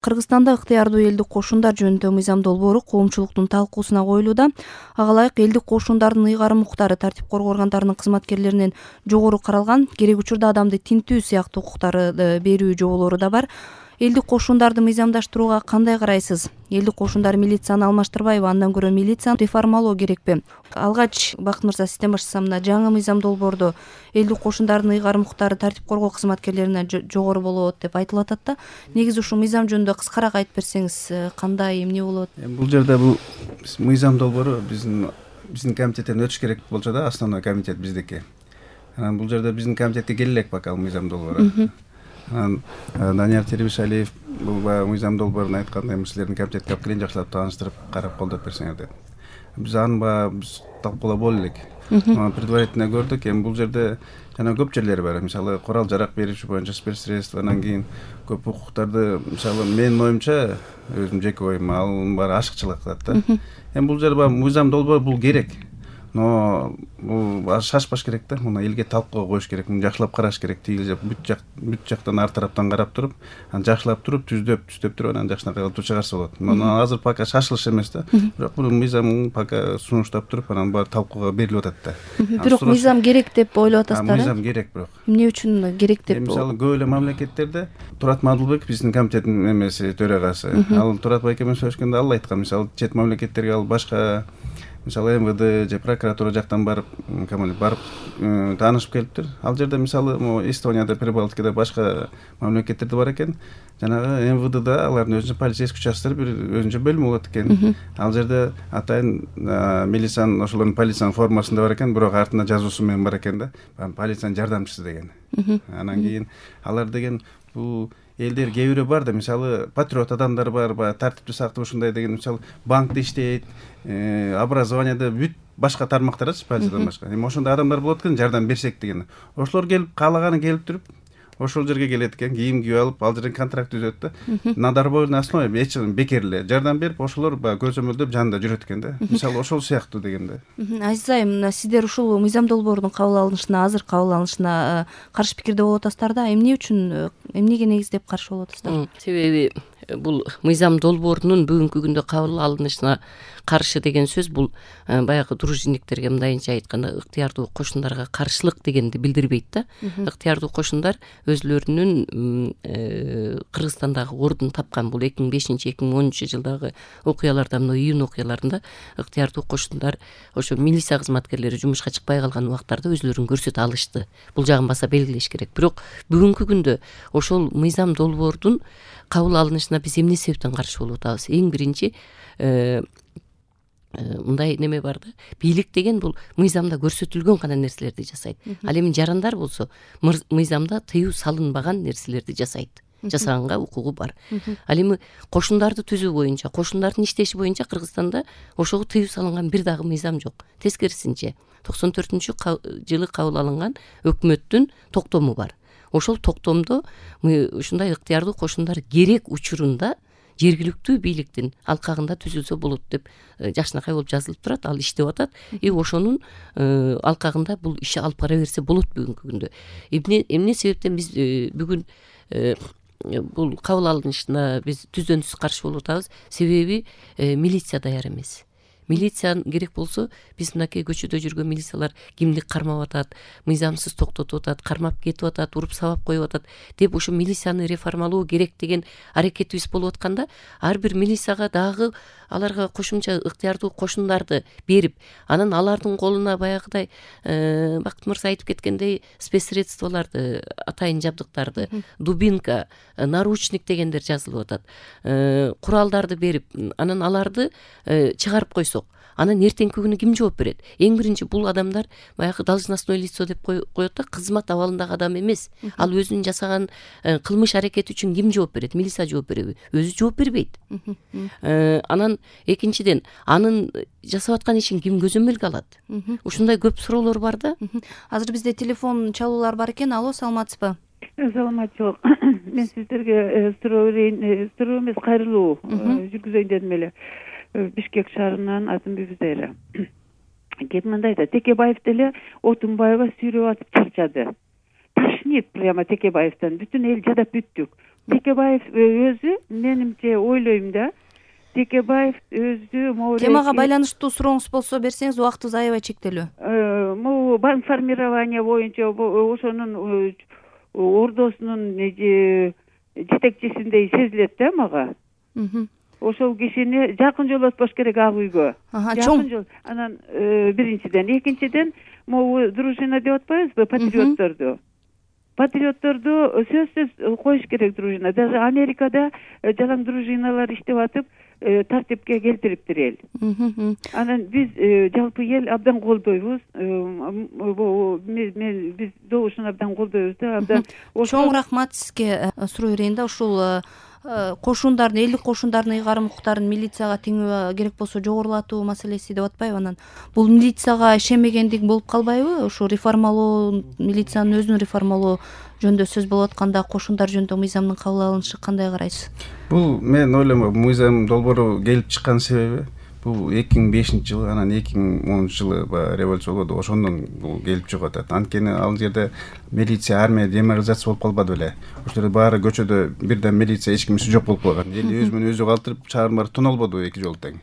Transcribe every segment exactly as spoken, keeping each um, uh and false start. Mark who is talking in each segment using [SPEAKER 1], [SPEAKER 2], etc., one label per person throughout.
[SPEAKER 1] Кыргызстанда ыктыярдуу элдик кошундар жөнүндө мыйзам долбоору коомчулуктун талкуусуна коюлууда. Ага ылайык элдик кошундардын ыйгарым укуктары тартип коргоо органдарынын кызматкерлеринен жогору каралган, керек учурда адамды тинтүү сыяктуу укуктарды берүү жоболору да бар. Элдик кошундарды мыйзамдаштырууга кандай карайсыз? Элдик кошундар милицияны алмаштырбайбы? Андан көрө милицияны реформалоо керекпи? Алгач Бакыт мырза сизден баштасам, мына жаңы мыйзам долбоордо элдик кошундардын ыйгарым укуктары тартип коргоо кызматкерлерине жогору болот деп айтылып атат да. Негизи ушул мыйзам жөнүндө кыскараак айтып берсеңиз, кандай, эмне болот?
[SPEAKER 2] Бул жерде бул мыйзам долбоору биздин биздин комитеттен өтүш керек болчу да, основной комитет биздики. Анан бул жерде биздин комитетке келе элек бакал мыйзам долбоору. Анан Данияр Тербишалиев бул баягы мыйзам долбоорун айтканда, эми силердин комитетке алып келейин, жакшылап тааныштырып, карап колдоп берсеңер деп. Биз аны баягы биз талкуулап боло элек. Анан предварительно көрдүк. Эми бул жерде жана көп жерлери бар. Мисалы, корал жарак берүүчү боюнча спецсредство, анан кийин көп укуктарды, мисалы, менин оюмча, өзүм жеке оюм, ал баары ашыкчылык кылат да. Эми бул жерде баягы мыйзам долбоор бул керек. Но бул шашпаш керек да. Муну элге талкууга коюш керек. Муну жакшылап караш керек. Тиги жак, бүт жак, бүт жактан ар тараптан карап туруп, анан жакшылап туруп, түздөп, түздөп туруп, анан жакшынакай кылып чыгарса болот. Муну азыр пока шашылыш эмес да. Бирок бул мыйзам пока сунуштап туруп, анан баары талкууга берилип атат да.
[SPEAKER 1] Бирок мыйзам керек деп ойлоп атасыздар.
[SPEAKER 2] Мыйзам керек бирок.
[SPEAKER 1] Эмне үчүн керек деп?
[SPEAKER 2] Мисалы, көп эле мамлекеттерде Турат Мадылбек биздин комитеттин эмеси, төрагасы. Ал Турат байке менен сөйлөшкөндө ал айткан, мисалы, чет мамлекеттерге ал башка, мисалы, эм вэ дэ же прокуратура жактан барып, барып таанышып келиптир. Ал жерде, мисалы, Эстонияда, Прибалтикада, башка мамлекеттерде бар экен. Жанагы эм вэ дэ алардын өзүнчө полицейский участоктор бир өзүнчө бөлүмү болот экен. Ал жерде атайын милициянын, ошолордун полициянын формасында бар экен, бирок артында жазуусу менен бар экен да. Полициянын жардамчысы деген. Анан кийин алар деген бул элдер кээ бирөө бар да, мисалы, патриот адамдар бар, баягы тартипти сактап ушундай деген, мисалы, банкта иштейт, образованияда бүт башка тармактардачы, полициядан башка. Эми ошондой адамдар болот экен, жардам берсек деген. Ошолор келип, каалаганы келип туруп, ошол жерге келет экен, кийим кийип алып, ал жерден контракт түзөт да. На добровольной основе, эч бекер эле жардам берип, ошолор баягы көзөмөлдөп жанында жүрөт экен да. Мисалы, ошол сыяктуу дегенде.
[SPEAKER 1] Азиз айым, мына сиздер ушул мыйзам долбоордун кабыл алынышына, азыр кабыл алынышына каршы пикирде болуп атасыздар да. Эмне үчүн, эмнеге негиздеп каршы болуп атасыздар?
[SPEAKER 3] Себеби бул мыйзам долбоорунун бүгүнкү күндө кабыл алынышына каршы деген сөз бул баягы дружинниктерге мындайынча айтканда ыктыярдуу кошундарга каршылык дегенди билдирбейт да. Ыктыярдуу кошундар өзүлөрүнүн Кыргызстандагы ордун тапкан, бул эки миң бешинчи эки миң онунчу жылдагы окуяларда, мына июнь окуяларында ыктыярдуу кошундар ошо милиция кызматкерлери жумушка чыкпай калган убактарда өзүлөрүн көрсөтө алышты. Бул жагын баса белгилеш керек. Бирок бүгүнкү күндө ошол мыйзам долбоордун кабыл алынышына биз эмне себептен каршы болуп атабыз? Эң биринчи мындай неме бар да. Бийлик деген бул мыйзамда көрсөтүлгөн гана нерселерди жасайт. Ал эми жарандар болсо мыйзамда тыюу салынбаган нерселерди жасайт. Жасаганга укугу бар. Ал эми кошундарды түзүү боюнча, кошундардын иштеши боюнча Кыргызстанда ошого тыюу салынган бир дагы мыйзам жок. Тескерисинче, токсон төртүнчү жылы кабыл алынган өкмөттүн токтому бар. Ошол токтомдо ушундай ыктыярдуу кошундар керек учурунда жергиликтүү бийликтин алкагында түзүлсө болот деп жакшынакай болуп жазылып турат. Ал иштеп атат. И ошонун алкагында бул иши алып бара берсе болот бүгүнкү күндө. Эмне эмне себептен биз бүгүн бул кабыл алынышына биз түздөн түз каршы болуп атабыз? Себеби милиция даяр эмес. Милиция керек болсо, биз мынакей көчөдө жүргөн милициялар кимди кармап атат, мыйзамсыз токтотуп атат, кармап кетип атат, уруп сабап коюп атат деп ошо милицияны реформалоо керек деген аракетибиз болуп атканда, ар бир милицияга дагы аларга кошумча ыктыярдуу кошундарды берип, анан алардын колуна баягыдай Бакыт мырза айтып кеткендей спецсредстволорду, атайын жабдыктарды, дубинка, наручник дегендер жазылып атат. Куралдарды берип, анан аларды чыгарып койсок, анан эртеңки күнү ким жооп берет? Эң биринчи бул адамдар баягы должностное лицо деп коет да, кызмат абалындагы адам эмес. Ал өзүнүн жасаган кылмыш аракети үчүн ким жооп берет? Милиция жооп береби? Өзү жооп бербейт. Анан экинчиден, анын жасап аткан ишин ким көзөмөлгө алат? Ушундай көп суроолор бар да.
[SPEAKER 1] Азыр бизде телефон чалуулар бар экен. Алло, саламатсызбы?
[SPEAKER 4] Саламатчылык. Мен сиздерге суроо берейин, суроо эмес, кайрылуу жүргүзөйүн дедим эле. Бишкек шаарынан Азымбек Зайра. Кеп мындай да, Текебаев деле Отунбаева сүйрөп атып чарчады. Тошнит прямо Текебаевтан. Бүтүн эл жадап бүттүк. Текебаев өзү менимче ойлойм да, Текебаев өзү могу
[SPEAKER 1] темага байланыштуу сурооңуз болсо берсеңиз, убактыбыз аябай чектелүү.
[SPEAKER 4] Могу банк формирование боюнча ошонун ордосунун жетекчисиндей сезилет да мага. Ошол кишини жакын жолотпош керек ак үйгө. Жакын жол. Анан биринчиден, экинчиден могу дружина деп атпайбызбы, патриотторду. Патриотторду сөзсүз коюш керек дружина. Даже Америкада жалаң дружиналар иштеп атып, тартипке келтириптир эл. Анан биз жалпы эл абдан колдойбуз. Мен биз добушун абдан колдойбуз да, абдан.
[SPEAKER 1] Чоң рахмат сизге. Суроо берейин да, ушул кошундардын, элдик кошундардын ыйгарым укуктарын милицияга теңөө керек болсо жогорулатуу маселеси деп атпайбы? Анан бул милицияга ишенбегендик болуп калбайбы? Ошо реформалоо, милициянын өзүн реформалоо жөнүндө сөз болуп атканда кошундар жөнүндө мыйзамдын кабыл алынышы кандай карайсыз?
[SPEAKER 2] Бул мен ойлойм, мыйзам долбоору келип чыккан себеби бул эки миң бешинчи жылы, анан эки миң онунчу жылы баягы революция болду, ошондон бул келип чыгып атат. Анткени ал жерде милиция, армия деморализация болуп калбады беле. Ошол жерде баары көчөдө бирден милиция эч кимиси жок болуп калган. Эл өзү менен өзү калтырып чаарым бар тонолбоду эки жолу тең.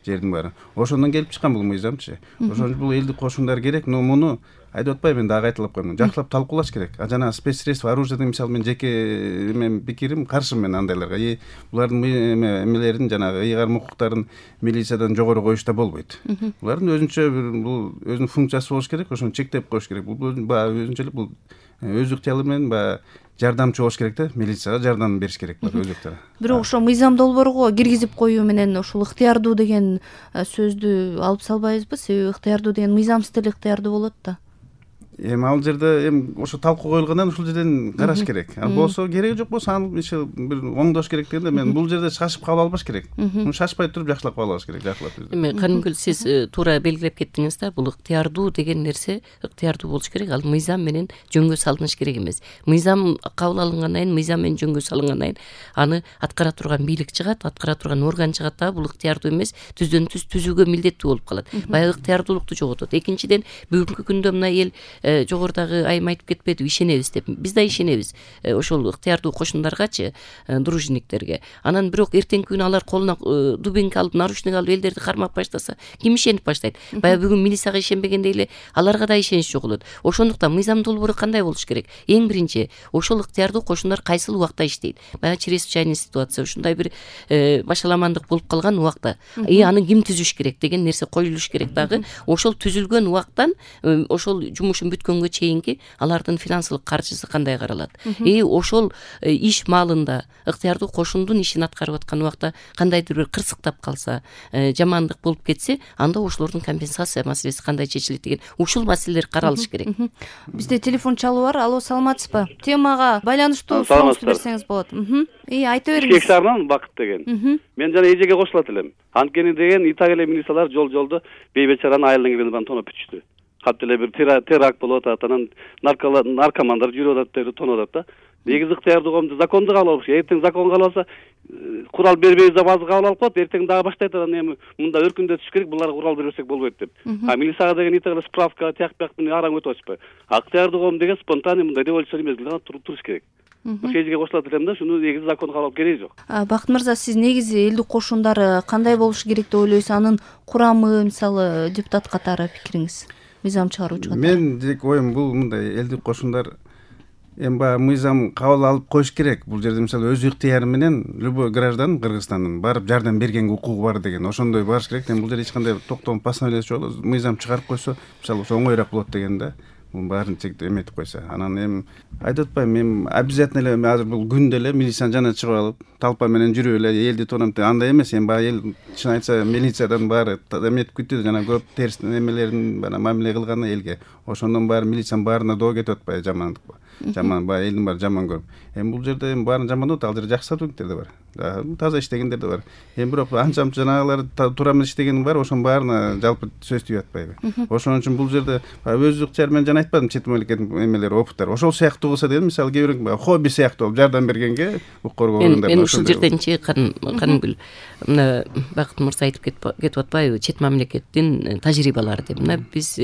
[SPEAKER 2] Жердин баары. Ошондон келип чыккан бул мыйзамчы. Ошон үчүн бул элдик кошундар керек, но муну айтып атпайбы, мен дагы айтылып коймун. Жакшылап талкуулаш керек. А жана спецсредство, оружие деген мисалы мен жеке мен пикирим, каршымын мен андайларга. И булардын эмелерин, жанагы ыйгарым укуктарын милициядан жогору коюшта болбойт. Булардын өзүнчө бул өзүнүн функциясы болуш керек, ошону чектеп коюш керек. Бул баягы өзүнчө эле бул өз ыктыяры менен баягы жардамчы болуш керек да, милицияга жардам бериш керек булар өз ыктыяры.
[SPEAKER 1] Бирок ошо мыйзам долбоорго киргизип коюу менен ушул ыктыярдуу деген сөздү алып салбайбызбы? Себеби ыктыярдуу деген мыйзамсыз деле ыктыярдуу болот да.
[SPEAKER 2] Эми ал жерде эми ошо талкуу коюлгандан ушул жерден караш керек. Ал болсо кереги жок болсо аны бир оңдош керек дегенде мен бул жерде шашып кабыл албаш керек. Муну шашпай туруп жакшылап кабыл алыш керек, жакшылап.
[SPEAKER 3] Эми Канымгүл, сиз туура белгилеп кеттиңиз да, бул ыктыярдуу деген нерсе ыктыярдуу болуш керек. Ал мыйзам менен жөнгө салыныш керек эмес. Мыйзам кабыл алынгандан кийин, мыйзам менен жөнгө салынгандан кийин аны аткара турган бийлик чыгат, аткара турган орган чыгат да, бул ыктыярдуу эмес, түздөн түз түзүүгө милдеттүү болуп калат. Баягы ыктыярдуулукту жоготот. Экинчиден, бүгүнкү күндө мына эл жогорудагы айым айтып кетпедиби, ишенебиз деп. Биз да ишенебиз ошол ыктыярдуу кошундаргачы, дружинниктерге. Анан бирок эртеңки күнү алар колуна дубинка алып, наручник алып элдерди кармап баштаса, ким ишенип баштайт? Баягы бүгүн милицияга ишенбегендей эле аларга да ишенич жоголот. Ошондуктан мыйзам долбоору кандай болуш керек? Эң биринчи, ошол ыктыярдуу кошундар кайсыл убакта иштейт? Баягы чрезвычайный ситуация, ушундай бир башаламандык болуп калган убакта, и аны ким түзүш керек деген нерсе коюлуш керек дагы. Ошол түзүлгөн убактан ошол жумушун бүткөнгө чейинки алардын финансылык каржысы кандай каралат? И ошол иш маалында ыктыярдуу кошундун ишин аткарып аткан убакта кандайдыр бир кырсыктап калса, жамандык болуп кетсе, анда ошолордун компенсация маселеси кандай чечилет деген ушул маселелер каралыш керек.
[SPEAKER 1] Бизде телефон чалуу бар. Алло, саламатсызбы? Темага байланыштуу сурооңузду берсеңиз болот. И айта бериңиз.
[SPEAKER 5] Бишкек шаарынан Бакыт деген. Мен жана эжеге кошулат элем. Анткени деген итак эле милициялар жол жолдо бейбечаранын айылын киргенин тоноп бүтүштү. Катты эле бир теракт болуп атат, анан наркомандар жүрүп атат деп тоноп атат да. Негизи ыктыярдуу коомду законду кабыл алыш. Эртең закон кабыл алса, курал бербейбиз деп азыр кабыл алып коет, эртең дагы баштайт, анан эми мында өркүндөтүш керек, буларга курал бербесек болбойт деп. А милицияга деген итак эле справка, тияк бияк менен араң өтүп атышпайбы. А ыктыярдуу коом деген спонтанный мындай революция эмес, туруш керек. Ошо эжеге кошулат элем да, шуну негизи закон кабыл алып кереги жок.
[SPEAKER 1] Бакыт мырза, сиз негизи элдик кошундар кандай болушу керек деп ойлойсуз? Анын курамы, мисалы, депутат катары пикириңиз? Мыйзам чыгаруучу катары.
[SPEAKER 2] Мен жеке оюм бул мындай элдик кошундар эми баягы мыйзам кабыл алып коюш керек. Бул жерде мисалы өз ыктыяры менен любой граждан Кыргызстандын барып жардам бергенге укугу бар деген ошондой барыш керек. Эми бул жерде эч кандай токтом постановление жок, мыйзам чыгарып койсо, мисалы ошо оңоюраак болот деген да. Бул баарын чектеп эметип койсо. Анан эми айтып атпайбы, эми обязательно эле азыр бул күндө эле милицияны жана чыгып алып, толпа менен жүрүп эле элди тонап андай эмес. Эми баягы эл чын айтса милициядан баары эметип күттү, жана көп терс эмелерин бана мамиле кылганы элге. Ошондон баары милициянын баарына доо кетип атпайбы, жамандыкпы. Жаман баягы элдин баары жаман көрүп. Эми бул жерде эми баарын жамандап атат, ал жерде жакшы сотрудниктер да бар. Таза иштегендер да бар. Эми бирок анча жанагылар туура эмес иштеген бар, ошонун баарына жалпы сөз тийип атпайбы. Ошон үчүн бул жерде өз ыктыяры менен жана айтпадым, чет мамлекеттин эмелери, опыттар. Ошол сыяктуу кылса деген, мисалы кээ бирок хобби сыяктуу болуп жардам бергенге укук органдар.
[SPEAKER 3] Мен ушул жерденчи Канымгүл, мына Бакыт мырза айтып кетип атпайбы, чет мамлекеттин тажрыйбалары деп. Мына биз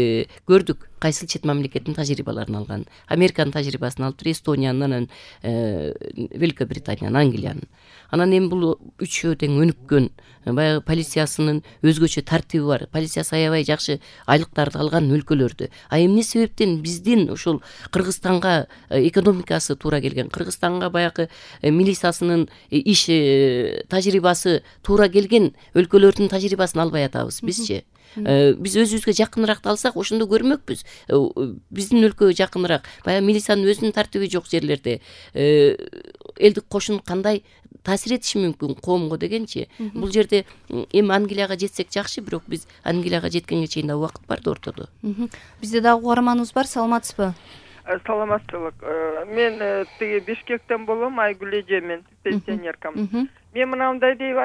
[SPEAKER 3] көрдүк. кайсыл чет мамлекеттин тажрыйбаларын алган. Американын тажрыйбасын алыптыр, Эстонияны, анан Великобританиянын, Англиянын. Анан эми бул үчөө тең өнүккөн, баягы полициясынын өзгөчө тартиби бар, полициясы аябай жакшы айлыктарды алган өлкөлөрдү. А эмне себептен биздин ушул Кыргызстанга экономикасы туура келген, Кыргызстанга баягы милициясынын иш тажрыйбасы туура келген өлкөлөрдүн тажрыйбасын албай атабыз бизчи? Биз өзүбүзгө жакыныраак алсак ошондо көрмөкпүз. Биздин өлкөгө жакыныраак, баягы милициянын өзүнүн тартиби жок жерлерде элдик кошун кандай таасир этиши мүмкүн коомго дегенчи. Бул жерде эми Англияга жетсек жакшы, бирок биз Англияга жеткенге чейин да убакыт бар да ортодо.
[SPEAKER 1] Бизде дагы угарманыбыз бар, саламатсызбы?
[SPEAKER 6] Саламатчылык. Мен тиги Бишкектен болом, Айгүл эже, мен пенсионеркам. Мен мынандай деп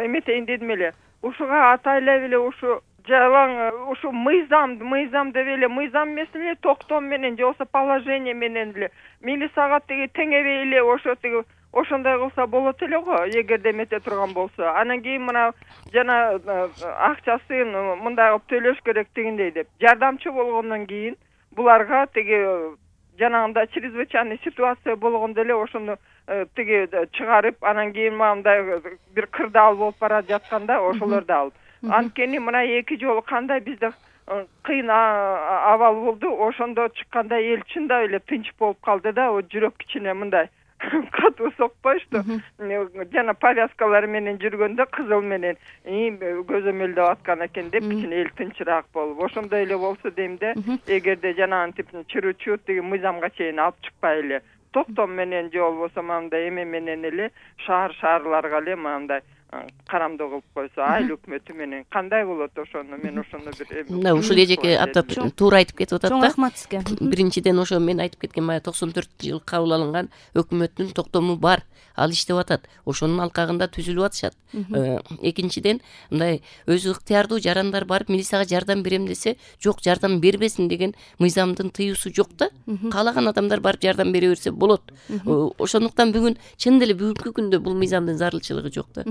[SPEAKER 6] эметейин дедим эле. Ушуга атайлап эле ушу жалаң ушу мыйзам, мыйзам деп эле, мыйзам эмес эле токтом менен же болбосо положение менен эле милицияга тиги теңебей эле ошо тиги ошондой кылса болот эле го, эгерде эмете турган болсо. Анан кийин мына жана акчасын мындай кылып төлөш керек дегендей деп. Жардамчы болгондон кийин буларга тиги жанагындай чрезвычайный ситуация болгондо эле ошону тиги чыгарып, анан кийин мындай бир кырдаал болуп бара жатканда ошолорду алып. Анткени мына эки жолу кандай бизде кыйын абал болду, ошондо чыкканда эл чындап эле тынч болуп калды да, жүрөк кичине мындай катуу сокпойчу. Жана повязкалар менен жүргөндө кызыл менен көзөмөлдөп аткан экен деп кичине эл тынчыраак болуп. Ошондой эле болсо дейм да, эгерде жанагы типтин чырычуу тиги мыйзамга чейин алып чыкпай эле токтом менен же болбосо мындай эме менен эле шаар шаарларга эле мындай карамдоо кылып койсо, айыл өкмөтү менен кандай болот ошону мен ошону бир
[SPEAKER 3] мына ушул эжеке атап туура айтып кетип атат да.
[SPEAKER 1] Чоң рахмат сизге.
[SPEAKER 3] Биринчиден ошо мен айтып кеткен баягы токсон төртүнчү жылы кабыл алынган өкмөттүн токтому бар, ал иштеп атат, ошонун алкагында түзүлүп атышат. Экинчиден мындай өзү ыктыярдуу жарандар барып милицияга жардам берем десе, жок, жардам бербесин деген мыйзамдын тыюусу жок да. Каалаган адамдар барып жардам бере берсе болот. Ошондуктан бүгүн чын деле бүгүнкү күндө бул мыйзамдын зарылчылыгы жок да.